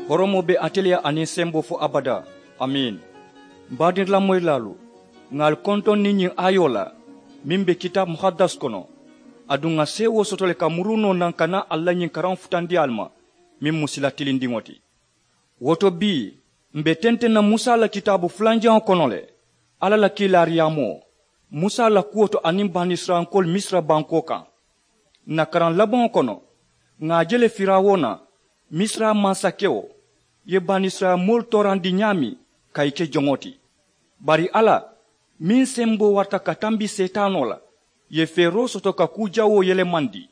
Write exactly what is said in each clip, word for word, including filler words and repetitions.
Horomoo be ate le ye aniŋ semboo fo abadaa. Amiin. M baadirilamoyilaalu, ŋà ali kontoŋ niŋ ñiŋ aayoo la meŋ be kitaabu muhaddas kono. Aduŋ ŋà seewoo soto le ka muruu noo naŋ ka naa ali la ñiŋ karaŋo futandi ali ma meŋ mu sila tilindiŋo ti. Wo to bii, m be tenteŋ na musa la kitaabu fulanjaŋo kono le, alla la kiilaariyaamoo, musa la kuwo to aniŋ banisirayilankoolu misira bankoo kaŋ. Ǹ na karaŋ labaŋo kono, ŋà a je le firawuna, misira mansakewo, ye banisirayila moolu toorandi ñaameŋ ka ì ke joŋo ti. Bari alla, meŋ semboo warata ka tambi seetaanoo la, ye feeroo soto ka kuu jawoo yelemandi.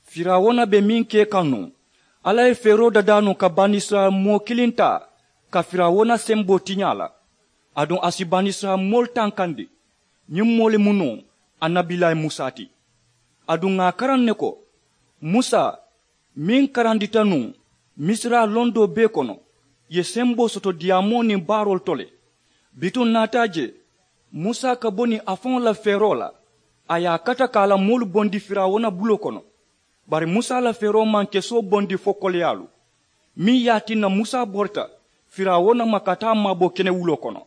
Firawuna be meŋ ke kaŋ nuŋ, alla ye feeroo dadaa nuŋ ka banisirayila moo kiliŋ taa ka firawuna semboo tiñaa la. Aduŋ a si banisirayila moolu tankandi. Ñiŋ moo le mu nuŋ annabilayi musa ti. Aduŋ ŋà a karaŋ ne ko, musa meŋ karandita nuŋ misira londoo bee kono, ye semboo soto diyaamoo niŋ baaroolu to le. Bituŋ naata a je musa ka bo niŋ a faŋo la feeroo la, a ye a kata ka a la moolu bondi firawuna buloo kono. Bari musa la feeroo maŋ kesoo bondi fo koleyaalu, meŋ ye a tinna musa borita firawuna ma ka taa maabo kenewuloo kono.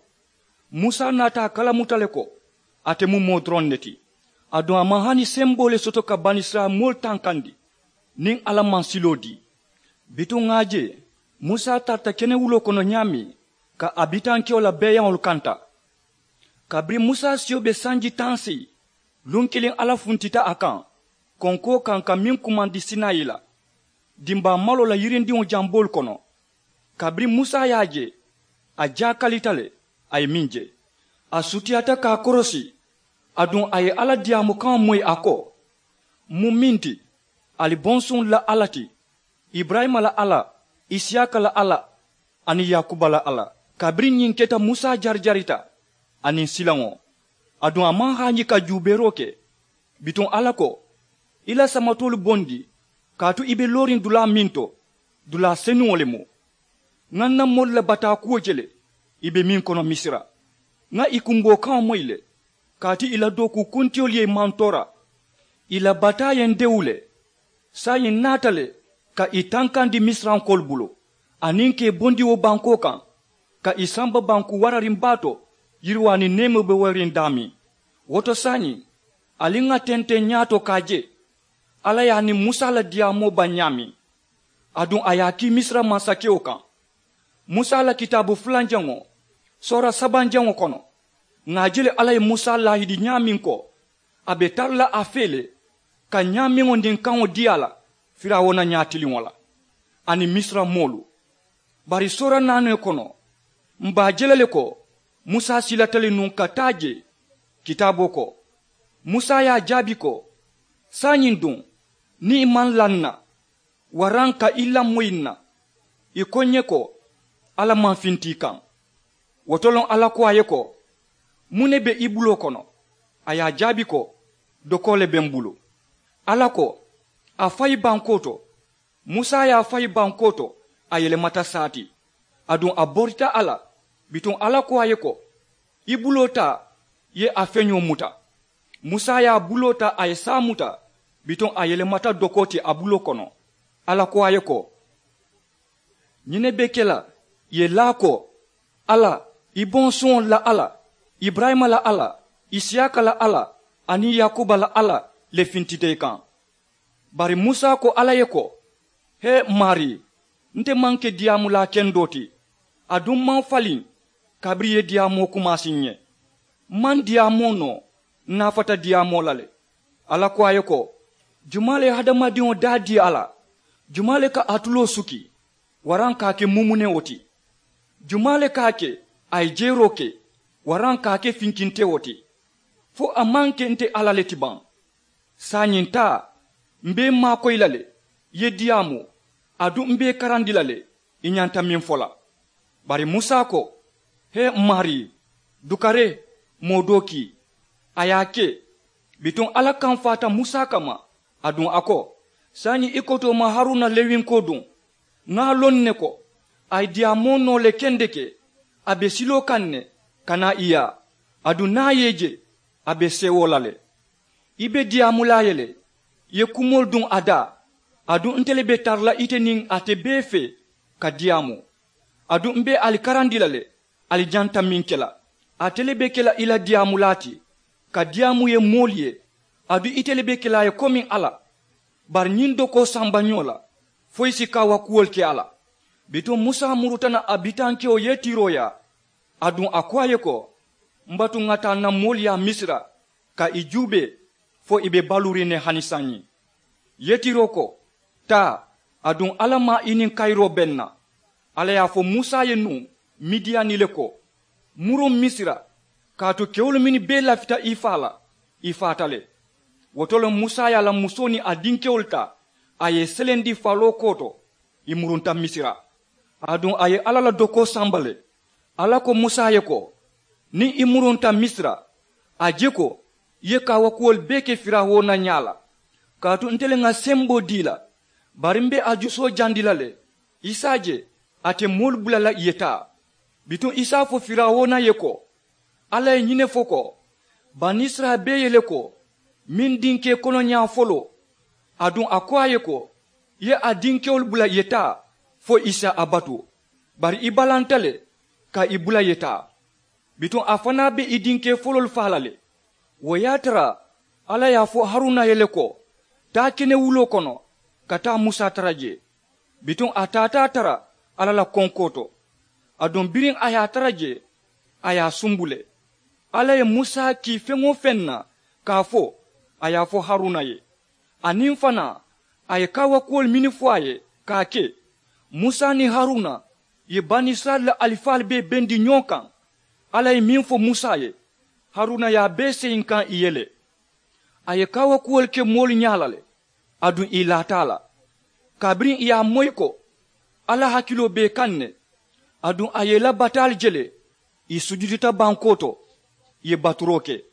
Musa naata a kalamuta le ko ate mu moo doroŋ ne ti. Aduŋ a maŋ hani semboo le soto ka banisirayila moolu tankandi niŋ alla maŋ siloo dii. Bituŋ ŋà a je musa tarata kenewuloo kono ñaameŋ ka a bitankewo la beeyaŋolu kanta. Kabiriŋ musa siyo be sanji taŋ seyi, luŋ kiliŋ alla funtita a kaŋ konkoo kaŋ ka meŋ kumandi sinayi la, dimbaa maloo la yirindiŋo jamboolu kono. Kabiriŋ musa ye a je, a jaakalita le, a ye meŋ je, a sutiyaata ka a korosi. Aduŋ a ye alla diyaamu kaŋo moyi a ko, m mu meŋ ti, ali bonsuŋolu la alla ti, iburayima la alla, isiyaaka la alla, aniŋ yaakuba la alla. Kabiriŋ ñiŋ keta musa jarijarita aniŋ silaŋo, aduŋ a maŋ haañi ka juubeeroo ke. Bituŋ alla ko, i la samatoolu bondi, kaatu i be looriŋ dulaa meŋ to, dulaa senuŋo le mu. Ŋà ǹ na moolu la bataa kuwo je le, i be meŋ kono misira. Ŋà i kumboo kaŋo moyi le, kaatu i la dookuu kuntiyolu ye i mantoora. I la bataa ye ǹ dewu le. Saayiŋ ǹ naata le ka i tankandi misirankoolu bulu, aniŋ ka i bondi wo bankoo kaŋ, ka i samba banku warariŋ baa to, yiriwaa niŋ neemoo be warariŋ daameŋ. Wo to saayiŋ, ali ŋà tenteŋ ñaato ka a je, alla ye a niŋ musa la diyaamoo baŋ ñaameŋ, aduŋ a ye a kii misira mansakewo kaŋ. Musa la kitaabu fulanjaŋo, soora sabanjaŋo kono, ŋà a je le alla ye musa laahidi ñaameŋ ko, a be tara la a fee le ka ñaameŋo niŋ kaŋo dii a la firawuna ñaatiliŋo la, aniŋ misira moolu. Bari soora naanoo kono, m be a je la le ko musa silata le nuŋ ka taa jee. Kitaaboo ko, musa ye a jaabi ko, saayiŋ duŋ, niŋ i maŋ laa ǹ na, waraŋ ka i lamoyi ǹ na, i ko ǹ ye ko, alla maŋ finti i kaŋ. Wo to loŋ alla ko a ye ko, muŋ ne be i buloo kono? A ye a jaabi ko, dokoo le be m bulu. Alla ko, a fayi bankoo to. Musa ye a fayi bankoo to, a yelemata saa ti. Aduŋ a borita a la. Bituŋ alla ko a ye ko, i buloo taa, i ye a feñoo muta. Musa ye a buloo taa, a ye saa muta. Bituŋ a yelemata dokoo ti a buloo kono. Alla ko a ye ko, ñiŋ ne be ke la, i ye laa ko, alla, i bonsuŋolu la alla, iburayima la alla, isiyaaka la alla, aniŋ yaakuba la alla le fintita i kaŋ. Bari musa ko alla ye ko, hee, m maarii, nte maŋ ke diyaamulaa kendoo ti, aduŋ m maŋ faliŋ kabiriŋ i ye diyaamoo kumaasi ǹ ye. M maŋ diyaamoo noo, n naafata diyaamoo la le. Alla ko a ye ko, jumaa le ye hadamadiŋo daa dii a la? Jumaa le ka a tuloo suki waraŋ ka a ke mumunewo ti? Jumaa le ka a ke a ye jeeroo ke waraŋ ka a ke finkintewo ti? Fo a maŋ ke nte alla le ti baŋ? Saayiŋ taa, m be i maakoyi la le, i ye diyaamu, aduŋ m be i karandi la le, i ñanta meŋ fo la. Bari musa ko, hee, m maarii, dukare, moo doo kii. A ye a ke. Bituŋ alla kamfaata musa kamma, aduŋ a ko, saayiŋ i kotoo ma haruna lewinkoo duŋ. Ŋà a loŋ ne ko a ye diyaamoo noo le kendeke, a be siloo kaŋ ne ka naa i yaa. Aduŋ niŋ a ye i je, a be seewoo la le. I be diyaamulaa ye le, i ye kumoolu duŋ a daa. Aduŋ nte le be tara la ite niŋ ate bee fee ka diyaamu. Aduŋ m be ali karandi la le ali ñanta meŋ ke la. Ate le be ke la i la diyaamulaa ti ka diyaamu ye moolu ye. Aduŋ ite le be ke la a ye komiŋ alla. Bari ñiŋ dokoo samba ñoo la fo i si kaawakuwolu ke a la. Bituŋ musa muruta na a bitankewo yetiroo yaa. Aduŋ a ko a ye ko, m batu ŋa taa n na moolu yaa misira ka i juubee fo i be baluuriŋ ne hani saayiŋ. Yetiroo ko, taa. Aduŋ alla maa i niŋ kayiroo be n na. Alla ye a fo musa ye nuŋ midiyani le ko, muruŋ misira, kaatu kewolu mennu bee lafita i faa la i faata le. Wo to le musa ye a la musoo niŋ a dinkewolu taa a ye i selendi faloo kooto. I murunta misira. Aduŋ a ye alla la dokoo samba le. Alla ko musa ye ko, niŋ i murunta misira, a je ko i ye kaawakuwolu bee ke firawuna ñaa la. Kaatu nte le ŋa semboo dii la. Bari m be a jusoo jandi la le. I si a je ate moolu bula la i ye taa. Bituŋ i si a fo firawuna ye ko, alla ye ñiŋ ne fo ko, banisirayila bee ye le ko, meŋ dinkee konoñaa foloo. Aduŋ a ko a ye ko, i ye a dinkewolu bula i ye taa fo i si a batu. Bari i balanta le ka i bula i ye taa. Bituŋ a fanaa be i dinkee foloolu faa la le. Wo ye a tara alla ye a fo haruna ye le ko, taa kenewuloo kono ka taa musa tara jee. Bituŋ a taata a tara alla la konkoo to. Aduŋ biriŋ a ye a tara jee, a ye a sumbu le. Alla ye musa kii feŋ-wo-feŋ na ka a fo, a ye a fo haruna ye. Aniŋ fanaa a ye kaawakuwolu mennu fo a ye ka a ke. Musa niŋ haruna ye banisirayila la alifaalu bee bendi ñoo kaŋ. Alla ye meŋ fo musa ye, haruna ye a bee seyinkaŋ i ye le. A ye kaawakuwolu ke moolu ñaa la le. Aduŋ ì laata a la. Kabiriŋ ì ye a moyi ko alla hakiloo be ì kaŋ ne. Aduŋ a ye ì la bataalu je le. Ì sujudita bankoo to, ì ye baturoo ke.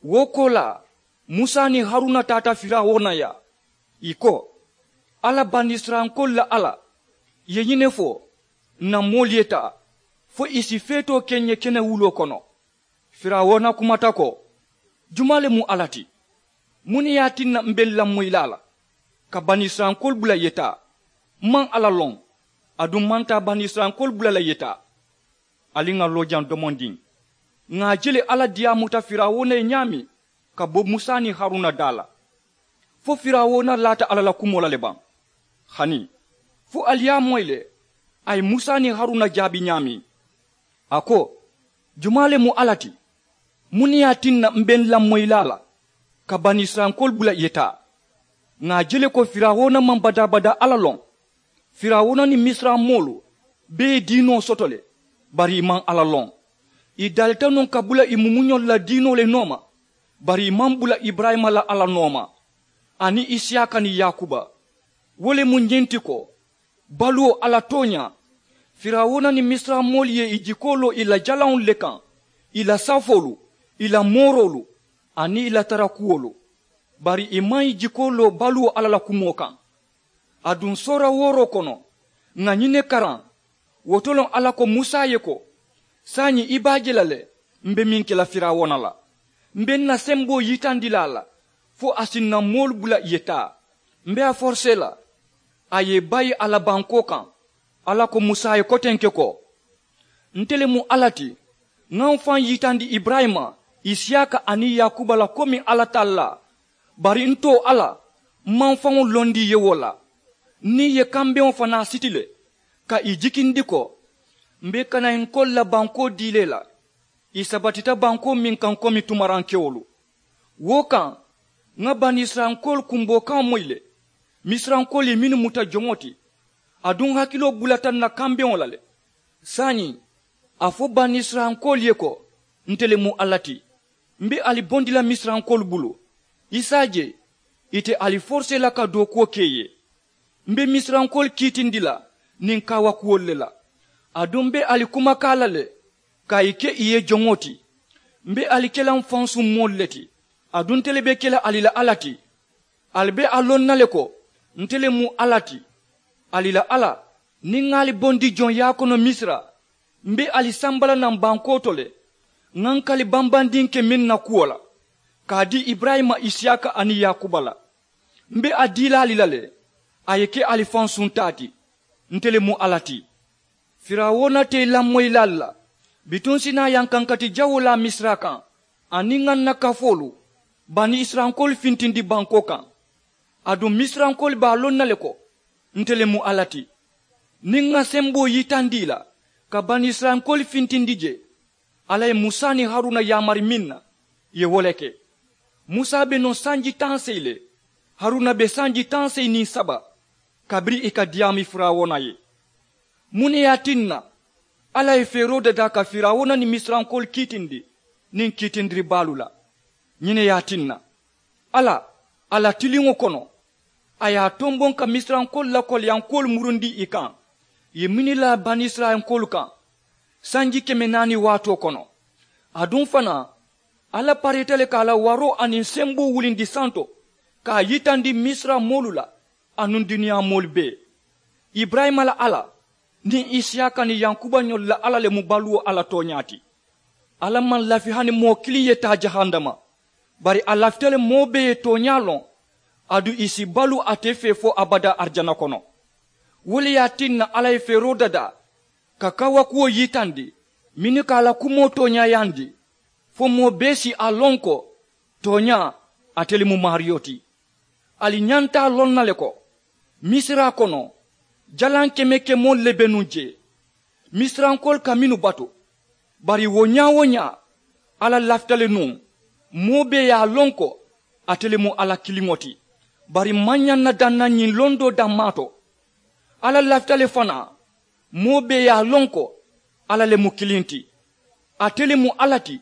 Wo koolaa, musa niŋ haruna taata firawuna yaa. Ì ko, alla banisirayilankoolu la alla, ì ye ñiŋ ne fo, ǹ na moolu ye taa fo ì si feetoo ke ǹ ye kenewuloo kono. Firawuna kumata ko, jumaa le mu alla ti? Muŋ ne ye a tinna m be n lamoyilaa la ka banisirayilankoolu bula ì ye taa? M maŋ alla loŋ. Aduŋ m maŋ taa banisirayilankoolu bula la ì ye taa. Ali ŋà loo jaŋ domondiŋ. Ŋà a je le alla diyaamuta firawuna ye ñaameŋ ka bo musa niŋ haruna daa la. Fo firawuna laata alla la kumoo la le baŋ? Hani fo ali ye a moyi le a ye musa niŋ haruna jaabi ñaameŋ? A ko, jumaa le mu alla ti? Muŋ ne ye a tinna m be n lamoyilaa la ka banisirayilankoolu bula ì ye taa? Ŋà a je le ko firawuna maŋ badaa-badaa alla loŋ. Firawuna niŋ misira moolu bee ye diinoo soto le. Bari ì maŋ alla loŋ. Ì dalita nuŋ ka bula ì mumuñolu la diinoo le nooma. Bari ì maŋ bula iburayima la alla nooma, aniŋ isiyaka niŋ yaakuba. Wo le mu ñiŋ ti ko, baluwo alla tooñaa, firawuna niŋ misira moolu ye ì jikoo loo ì la jalaŋolu le kaŋ, ì la safoolu, ì la mooroolu, aniŋ ì la tarakuwolu. Bari ì maŋ ì jikoo loo baluwo alla la kumoo kaŋ. Aduŋ soora wooroo kono, ŋà ñiŋ ne karaŋ. Wo to loŋ alla ko musa ye ko, saayiŋ i be a je la le m be meŋ ke la firawuna la. M be n na semboo yitandi la a la fo a si n na moolu bula ì ye taa. M be a forisee la a ye i bayi a la bankoo kaŋ. Alla ko musa ye kotenke ko, nte le mu alla ti. Ŋa m faŋ yitandi iburayima, isiyaka aniŋ yaakuba la komiŋ alla tallaa. Bari n too alla, m maŋ faŋo londi i ye wo la. N niŋ i ye kambeŋo fanaa siti le ka ì jikindi ko, m be kanaankoolu la bankoo dii la i la. Ì sabatita bankoo meŋ kaŋ komi tumarankewolu. Wo kaŋ, ŋa banisirayilankoolu kumboo kaŋo moyi le. Misirankoolu ye mennu muta joŋo ti, aduŋ hakiloo bulata n na kambeŋo la le. Saayiŋ, a fo banisirayilankoolu ye ko, nte le mu alla ti. M be ali bondi la misirankoolu bulu. I si a je, ite ali forisee la ka dookuwo ke i ye. M be misirankoolu kiitindi la niŋ kaawakuwolu le la. Aduŋ m be ali kumakaa la le ka i ke i ye joŋo ti. M be ali ke la m fansuŋ moolu le ti. Aduŋ nte le be ke la ali la alla ti. Ali be a loŋ na le ko, nte le mu alla ti. Ali la alla, niŋ ŋa ali bondi joŋ yaakono misira, m be ali samba la naŋ bankoo to le. Ŋa n kali bambandiŋ ke meŋ na kuwo la, ka a dii iburayima isiyaka aniŋ yaakuba la. M be a dii la ali la le, a ye ke ali fansuŋ taa ti. Nte le mu alla ti. Firawuna te i lamoyilaalu la. Bituŋ si naa yankankati jawoo laa misira kaŋ aniŋ ŋa n na kafoolu bani isirayilankoolu fintindi bankoo kaŋ. Aduŋ misirayilankoolu be a loŋ na le ko nte le mu alla ti. Niŋ ŋa semboo yitandi i la ka bani isirayilankoolu fintindi jee. Alla ye musa niŋ haruna yaamari meŋ na ì ye wo le ke. Musa be nuŋ sanji taŋ seyi le. Haruna be sanji taŋ seyi niŋ saba kabiriŋ ì ka diyaami firawuna ye. Muŋ ne ye a tinna alla ye feeroo dadaa ka firawuna niŋ misirankoolu kiitindi niŋ kiitindiribaalu la? Ñiŋ ne ye a tinna alla a la tiliŋo kono a ye a tomboŋ ka misirankoolu la koliyankoolu murundi ì kaŋ ì ye mini la banisirayilankoolu kaŋ sanji keme naani waatoo kono. Aduŋ fanaa alla parita le ka a la waroo aniŋ semboo wulindi santo ka a yitandi misira moolu la anuŋ duniyaa moolu bee. Iburayima la alla niŋ isiyaaka niŋ yankuba ñolu la alla le mu baluwo alla tooñaa ti. Alla maŋ lafi hani moo kiliŋ ye taa jahannama. Bari a lafita le moo bee ye tooñaa loŋ aduŋ ì si balu ate fee fo abadaa arijana kono. Wo le ye a tinna alla ye feeroo dadaa ka kawakuwo yitandi mennu ka a la kumoo tooñaayandi fo moo bee si a loŋ ko tooñaa ate le mu maariyo ti. Ali ñanta a loŋ na le ko misira kono jalaŋ keme kemoolu le be nuŋ jee. Misirankoolu ka mennu batu bari wo ñaa-wo-ñaa alla lafita le nuŋ moo bee ye a loŋ ko ate le mu alla kiliŋo ti. Bari maŋ ñaŋ na daŋ na ñiŋ londoo dammaa to alla lafita le fanaa moo bee ye a loŋ ko alla le mu kiliŋ ti. Ate le mu alla ti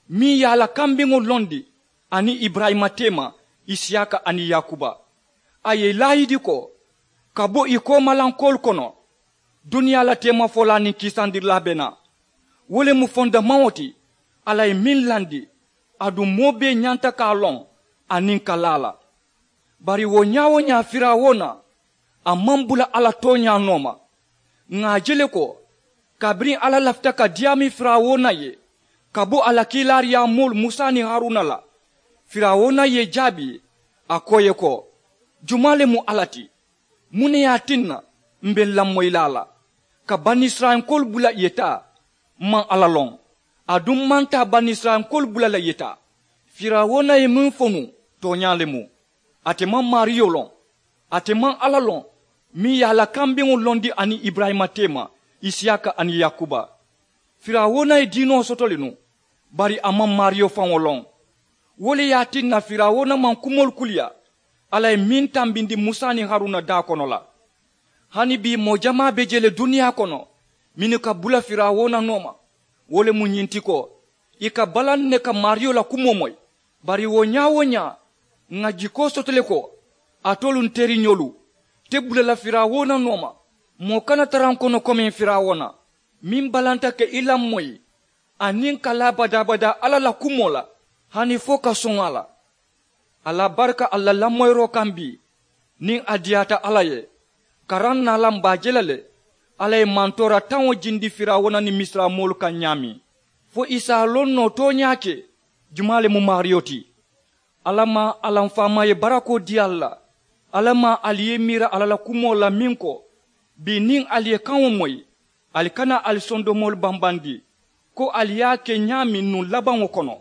meŋ ye a la kambeŋo londi aniŋ iburayima teema isiyaaka aniŋ yaakuba. A ye ì laayidi ko ka bo ì koomalankoolu kono duniyaa la teemafolaa niŋ kiisandirilaa be naa. Wo le mu fondamaŋo ti alla ye meŋ landi aduŋ moo bee ñanta ka a loŋ aniŋ ka laa a la. Bari wo ñaa-wo-ñaa firawuna a maŋ bula alla tooñaa nooma. Ŋà a je le ko kabiriŋ alla lafita ka diyaami firawuna ye ka bo a la kiilaariyaa moolu musa niŋ haruna la firawuna ye ì jaabi a ko ì ye ko jumaa le mu alla ti? Muŋ ne ye a tinna m̀ be n lamoyi la a la ka banisirayilankoolu bula ì ye taa? M maŋ alla loŋ aduŋ m maŋ taa banisirayilankoolu bula la ì ye taa. Firawuna ye meŋ fo nuŋ tooñaa le mu. Ate maŋ maariyo loŋ. Ate maŋ alla loŋ meŋ ye a la kambeŋo londi aniŋ iburayima teema isiyaaka aniŋ yaakuba. Firawuna ye diinoo soto le nuŋ bari a maŋ maariyo faŋo loŋ. Wo le ye a tinna firawuna maŋ kumoolu kuliyaa alla ye meŋ tambindi musa niŋ haruna daa kono la. Hani bii moo jamaa be je le duniyaa kono mennu ka bula firawuna nooma. Wo le mu ñiŋ ti ko ì ka balaŋ ne ka maariyo la kumoo moyi. Bari wo ñaa-wo-ñaa ŋà jikoo soto le ko alitolu n teriñolu te bula la firawuna nooma. Moo kana tara n kono komiŋ firawuna meŋ balanta ka i lamoyi aniŋ ka laa badaa-badaa alla la kumoo la hani fo ka soŋ a la. A la barika alla la lamoyiroo kaŋ bii niŋ a diyaata alla ye karaŋ naalaŋ be a je la le. Alla ye mantoora taŋo jindi firawuna niŋ misira moolu kaŋ ñaameŋ fo ì si a loŋ noo tooñaa ke jumaa le mu maariyo ti. Alla maŋ a la m faamaa ye barakoo dii ali la. Alla maŋ ali ye miira alla la kumoo la meŋ ko bii niŋ ali ye kaŋo moyi ali kana ali sondomoolu bambandi ko ali ye a ke ñaameŋ nuŋ labaŋo kono.